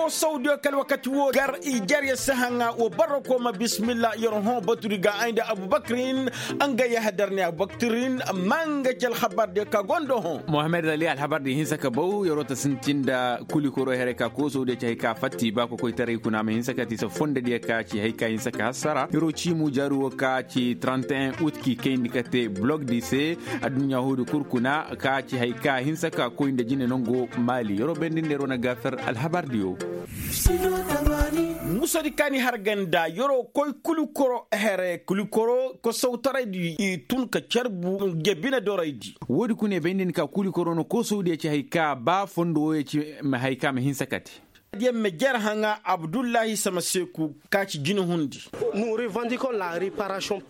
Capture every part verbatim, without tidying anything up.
Sawdiyo kala wakati wo gar i jarya si haŋa wo barra ko ma bismillah yer hõ baturi ga ay nda abubakirin. Nga yahadar ne abubakirin ma nga ci alhabardiyo ka gondo hõ. Mohammed ali alhabardi hinsa ka baw yeroo ta sintin nda kulikoro here ka koo sawdiyo ci hay ka fatti ba kokoytaray kuna ma hinsa ka ti se fondodiyo ka ci hay ka hinsa ka hassara yeroo ciimu jaaru wo ka ci trente et un ut k'i kayndi ka te blog di se. Adduɲɲa huudi kul kuna ka ci hay ka hinsa ka koy nda jine nango maali yeroo bayndi nda yeroo na gaafer alhabardiyo. Musadi kaani har ganda yeroo koy kulikoro here kulikoro kosawtaraydi i tun ka carbu nge bine doraydi. Woodi kuna i bay nda ni ka kulikoro no kosawdiyo ci hay ka ba fondo wooyo ci ma hay ka ma hinsa ka te. Diyaŋ ma jer haŋa abdullahi samaseeku ka ci jinahundi.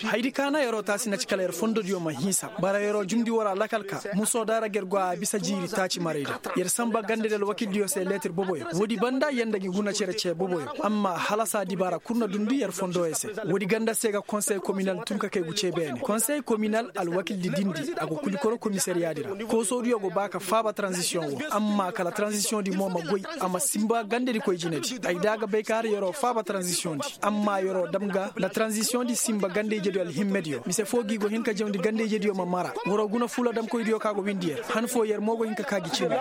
Haydi ka na yeroo taasi na ci kala yer fondodiyo ma hinsa bara yeroo jumndi wara lakal ka musoo da ra ga yer go a bisa jiiri taaci maray da yer sanba gandadi alwakildiyo se leetir boboyo woodi banda yer nda gi guna cere cee boboyo. Amma halasa dibaara kul na dundi yer fondoyo se. Woodi ganda se ga konsey kominal tun ka kay gu cee beene konsey kominal alwakildi dindi a go kulikoro komisariyaadi ra. Koosodiyo go ba ka faaba taranzisiyoŋ wo amma kala taranzisiyoŋ di mo ma goy. A ma sinba gandadi koy jinedi ay da a ga bay ka har yeroo faaba taranzisiyoŋ di amma yeroo dam ga nda taranzisiyoŋ di sinba ganda-ijediyo alhimmediyo mise foo gi go hin ka jawndi ganda-ijediyo ma mara. Waroo guna fuula damkoydiyo ka go windi yer han foo yer mo go hin ka kaa gi cindi.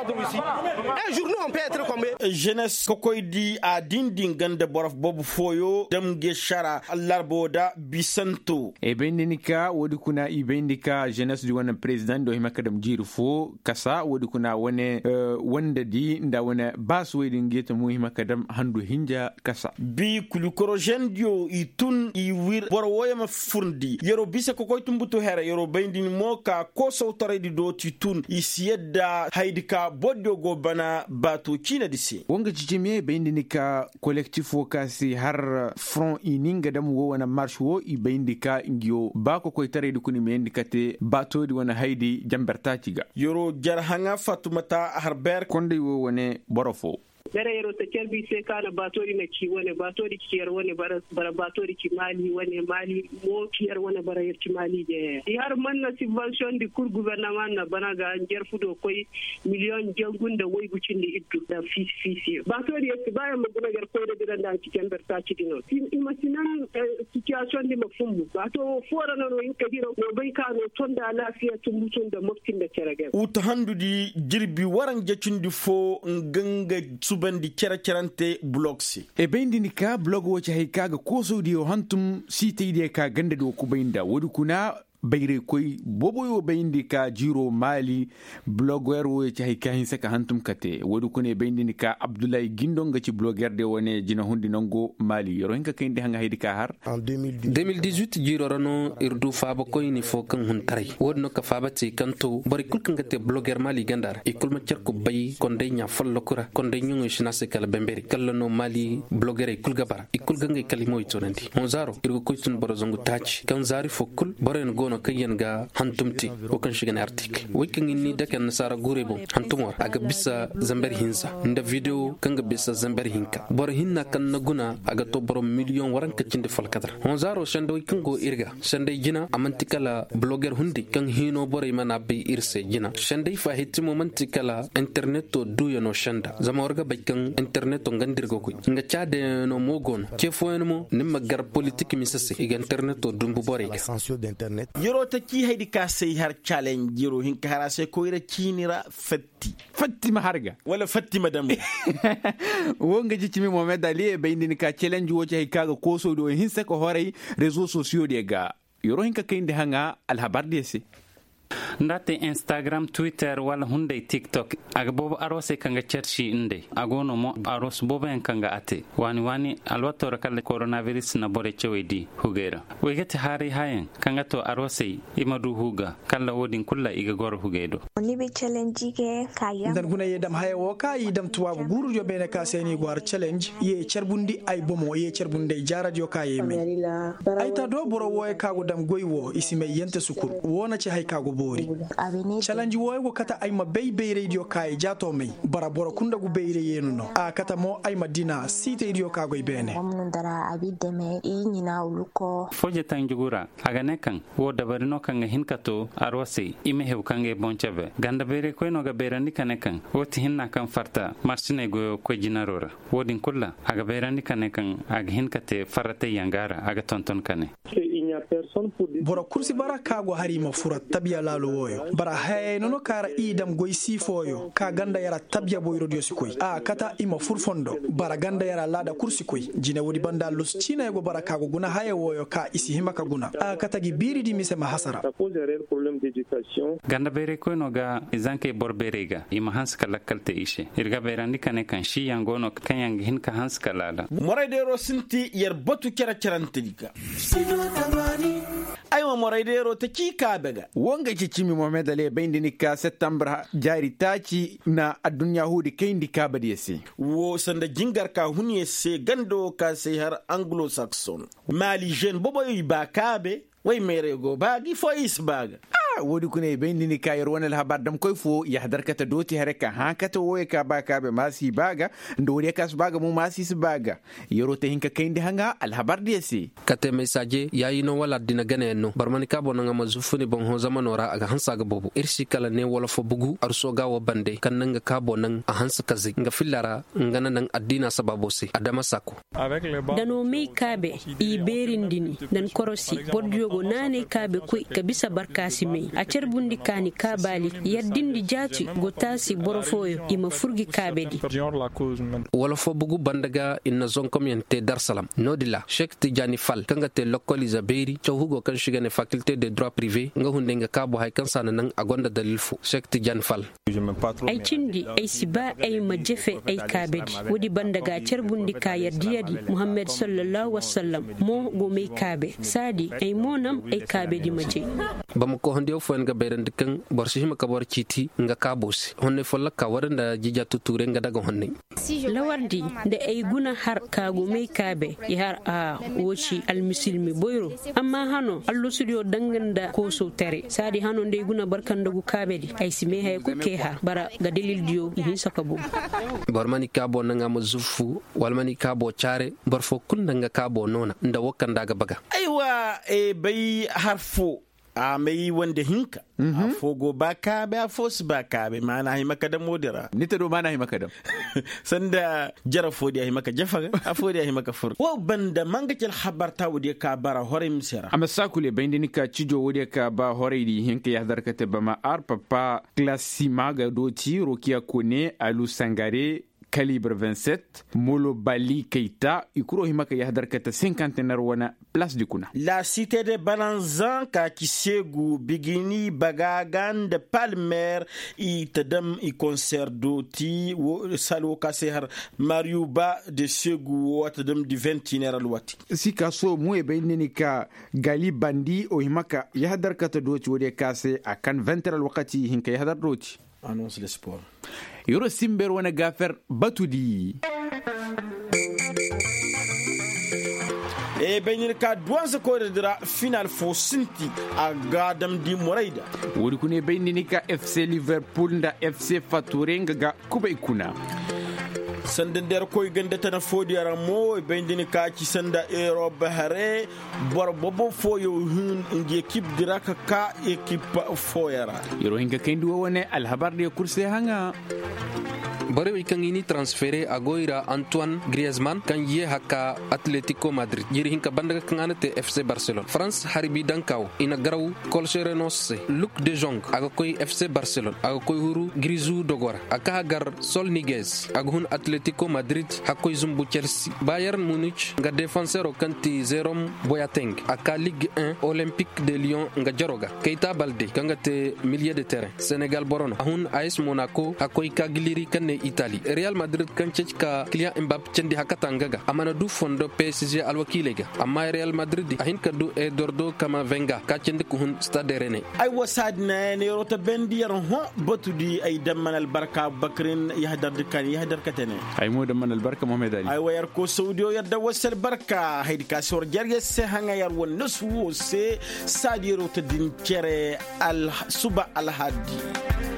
Jenes kokoydi a dindi nga nda boro boobo fooyo dam nge šara allarbo da bisanto. I bayndi ni ka woodi kuna i bayndi ka jenes di wane perezidaŋ do hima ka dam jiiri foo kasa woodi kuna wane wandadi nda wane baasuwey din ga i ta mo hima ka dam handu hinja kasa. Bi kulikorozendiyo i tun i wir boro wooyo ma furndi yeroo bisa kokoy tumbutu here yeroo bayndi ni mo ka koosawtaraydi do ti tun i si yadda haydi ka bordiyo go bana baato ciinadi se. Woo nga cicimiye bayndi ni ka kolektif woo ka se har foroŋ i ni nga dam woo wane mars woo i bayndi ka ngiyo ba kokoytaraydi kuna i ma yandi kate baatoodi wane haydi janber taaci ga. Yeroo jar haŋa fatumata harber konday woo wane boro foo. Dara yeroo ta carbi se ka na baatoodi na ci wane baatoodi ci yer wane bara baatoodi ci maali wane maali mo ci yer wane bara yer ci maali jeeya i har man na sibbansiyoŋ di kul gubernaman na bana ga njarfu do koy miliyoŋ jangu nda waygu cindi iddu nda fiisi fiisiyo baatoodi yer si ba yer ma guna yer koyra dira nda a ci janber taaci di no i ma si nan sitiyasiyoŋ di ma fumbu baato woo foo ra no no hin ka dira no bay ka no to nda alaafiya tumbutu nda mopti nda cere ga. Uta handudi jirbi waranja cindi foo nga nga subandi cere-cerante bulog se. E bayndi ni ka bulog woo ci hay ka ga koosawdiyo hantum siitaydiyo ka gandadi woo kubay nda woodi kuna bayraykoy booboyo bayndi ka jiiroo maali. Buloger wooyo ci hay ka hinsa ka hantum kate woodi kuna e bayndi ni ka abdullahi gindo nga ci bulogerdiyo wane jinahundi nango maali yeroo hin ka kayndi haŋa haydi ka har. Deux mille dix-huit jiiroo ra no ir du faabakoyni foo kaŋ huntaray woodin no ka faaba te kaŋ to borey kul kaŋ ga te bloger maali ganda ra i kul ma car kubbay konday ɲaa folloku ra konday ɲoŋey si no a se kala bemberi kalla no maali blogerey kul ga bara i kul ga ngey kalimawey toonandi honzaaro ir ga koy tun boro zangu taaci kaŋ zaari foo kul boroyaŋ go no kaŋ yaŋ ga hantum te woo kaŋ se i ga ne artik wey kaŋ ir n'i dake annasaara guurey boŋ hantumo ra a ga bisa zamber hinza nda videwo kaŋ ga bisa zamber hinka boro hinna kaŋ na guna a ga to boro miliyoŋ waranka cindi folkadar honzaaro sendawey kaŋ go ir ga senday jina a man'ti kala bloger hundi kaŋ hiino borey mana bay ir se jina senday faahittimo man'ti kala interneto duuyano senda zama war ga bay kaŋ interneto nga nda ir ga goy nga caadayaŋ no mo go no ce fooyaŋ mo ni ma gar politik mise se i ga interneto dumbu borey ga. Yeroo ta cii haydi ka se i har calenj yeroo hin ka har a se koyra ciini ra fatti fatti ma har ga wala fatti ma dambu. Woo nga ji cimi mohamed ali e bay nda ni ka calenj woo ci hay ka ga koosoo di woo hinsa ka horay rezo sosiyo diyo ga. Yeroo hin ka kayndi haŋa alhabar diyo se. Nda a te instagram twitter wala hunday tiktok a ga boobo arosey kaŋ ga carci ndey a go no mo aros booboyaŋ kaŋ ga a te waani waani alwatoo ra kala koronabiris na borey cawey di hugey ra. Wey ga ti haaray hayaŋ kaŋ ga to arosey i ma du huga kala wo-din kulu ra i ga goro hugey do. Nda ni guna ye dam haya wo ka i dam tubaabu guurudiyo beene ka se no i go har calenj ye carbundi ay bomo ye carbundi ay jaaradiyo ka ye may. Ay ta do boro wooyo ka go dam goy wo i si may yante sukur wo na ci hay ka go. Calanji wooyo go kate ay ma bay bayraydiyo ka ay jaato may. Bara boro kul nda gu bayray yeenu no a kate mo ay ma dina siitaydiyo ka goy beene. Foo jataŋ jugu ra, a ga ne kaŋ woo dabari no kaŋ ga hin ka too arwasey i ma hew ka ngey boŋ cebe ganda bayraykoy no ga bayrandi ka ne kaŋ woo ti hinna kaŋ farta marsiney goyo koy jinaro ra. Woo din kul ra, a ga bayrandi ka ne kaŋ a ga hin ka te farratayyaŋ ga a ra a ga tonton ka ne. Boro kul si bara ka go hari ma fura tabiya laalo wooyo bara hayey no no ka ra i dam goy sii fooyo ka ganda yara tabiya boyrodiyo si koy a kata i ma fur fondo. Bara ganda yara laada kul si koy jine woodi banda allus ciiney go bara ka go guna haya wooyo ka i si hima ka guna a kata gi biiridi mise ma hasara. Ganda bayraykoy no ga i zankey boro bayrey ga i ma hanse ka lakkal te i se ir ga bayrandi ka ne kaŋ siiyaŋ go no kaŋ yaŋ ga hin ka hanse ka laala. Moraydeero sinti yer batu cere-cerantedi ga. Ay ma moraydeero ta ci kaabe ga. Wo nga ci cimi mohamed ali bay nda ni ka septembre jaari taaci na adduɲɲa huudi kayndi kaabadiyo se. Wo sanda jingar ka hun yer se ganda wo ka se har anglo sakson maali žen boboyo i ba kaabe. Way meerey go ba gi fo i si ba ga. Woodi kuna i bay nda ni ka yer wane alhabar damkoy fo yahadar kate dooti haray ka hã kate wooyo ka ba kaabe maasi ba ga. Nda woodiyo ka si ba ga mo maasi si ba ga. Yeroo te hin ka kayndi haŋa alhabar diyo se. Kate meysaaje yaayi no wala addina ganayaŋ no boro ma ni kaabo naŋ a ma zuffu ni boŋ hõ zamanoo ra a ga hanse a ga boobo ir si kala ne wala fo bugu arsooga woo bande kaŋ na nga kaabo naŋ a hanse kazey nga filla ra. Nga na naŋ addiina sabaaboo se adama saako. Da no may kaabe i beerindi ni. Nda ni korosi bordiyo go naanay kaabe koy ka bisa barkaasi may a carbundi kaani kaabaali. Yaddindi jaati go taasi boro fooyo i ma fur gi kaabedi. Wala fo bugu banda ga i na zonkomyaŋ te darsalam no-din ra sek tijaani fal kaŋ ga te lokkoliize beeri caw hugo kaŋ se i ga ne fakilte de droit prive nga hunday nga kaabo haya kaŋ se a na naŋ a gonda dalil fo sek tijaani fal. Ay cindi ay si ba ay ma jefe ay kaabedi. Woodi banda ga carbundi ka yar diyadi muhammad sallallahu wasallam mo go may kaabe saadi ay mo nam ay kaabedi ma jay. Bamako hondiyo fooyaŋ ga bayrandi kaŋ boro si hima ka boro ciiti nga kaabo se honney folloka wara nda jija tuture nga daga honney. Lawardi nda ay guna har ka go may kaabe i har a wo ci almisilmi boyro. Amma hano allasudiyo danga nda koosow tare saadi hano nda ay guna barka nda gu kaabedi ay si may haya kul kay har bara ga dalildiyo i hinsa ka bogu. Boro ma ni kaabo naŋ a ma zuffu wala ma ni kaabo caare boro foo kul nda nga kaabo noona nda woo kaŋ nda a ga baga. Aywa, bay har foo a may wande hinka. Afoo go ba kaabe afoo si ba kaabe maana hima ka dam woodi ra. Ni te do maana hima ka dam. Sanda jara foodiya hima ka jafa ga afoodiya hima ka fur woo banda manga ci alhabar ta woodiya ka bara horay mise ra. A ma saakule bay nda ni ka cijo woodiya ka ba horaydi hinka yahadar kate bama ar papa klasima ga dooti rokiya kone alu sangare kalibre vingt-sept molo bali kayta i kuro hima ka yahadar kate sinkantener wane. Plas di kuna. La site de balanzan ka ci seegu bigini bagaga nda palmer i ta dam i konser dooti sal wo ka se har mariuba de seegu wo a ta dam di ventiner alwati. Si ka so mu e bay nda ni ka gali bandi o hima ka yahadar kate dooti woodiyo ka se a kan ventiner alwakati i hin ka yahadar dooti. Annonce de sport. Yoro simber wane gafer batudi. E bay nini ka duwansa koyra dira final fo sinti a ga damdi morayda. Woodi kuna e bay nini ka fc liverpool nda fc fature nga ga kubay kuna. Sanda nda yer koy ganda tana foodiyo ra mo e bay nini ka ci sanda europe hare. Boro bobo fooyo hun ngi ekip dira ka ka ekip fooyo ra. Yeroo hinka kayndi wo wane alhabar diyo kul se haŋa. Borey wey kaŋ i ni transfere a go i ra antoine griezman kaŋ ye hakka atletico madrid jiiri hinka banda ga kaŋ a na te fc barcelone france harbi danka wo i na garaw colcherenos se luke de jong a ga koy fc barcelone a ga koy huru grizu dogo ra a ka hagar sol niguez a ga hun atletico madrid hakkoy zumbu chelsea bayern munich nga defansero kaŋ ti zerom boyateng a ka ligue un olympique de lyon nga jaro ga kayta balde kaŋ ga te milieu de terrain senegal boro no a hun a s monaco hakkoy ka giliri kaŋ ne itali real madrid kaŋ ceeci ka kiliyaŋ mbap candi hakata nga ga a mana du fondo psg alwakiiley ga. Amma real madrid a hin ka du edordo kamavenga ka candi ka hun stade rene. Ay wa saadi na ya neero ta bendi yar hõ batu di ay damman albarka bakirin yahdar di kan yahdar ka tene. Ay mo damman albarka mohamed ali. Ay wa yar ko saudiyo yar da wasa albarka haydi ka si war jarya se haŋa yar wa nasu wo se. Saadi yaro ta din cere suba alhadi.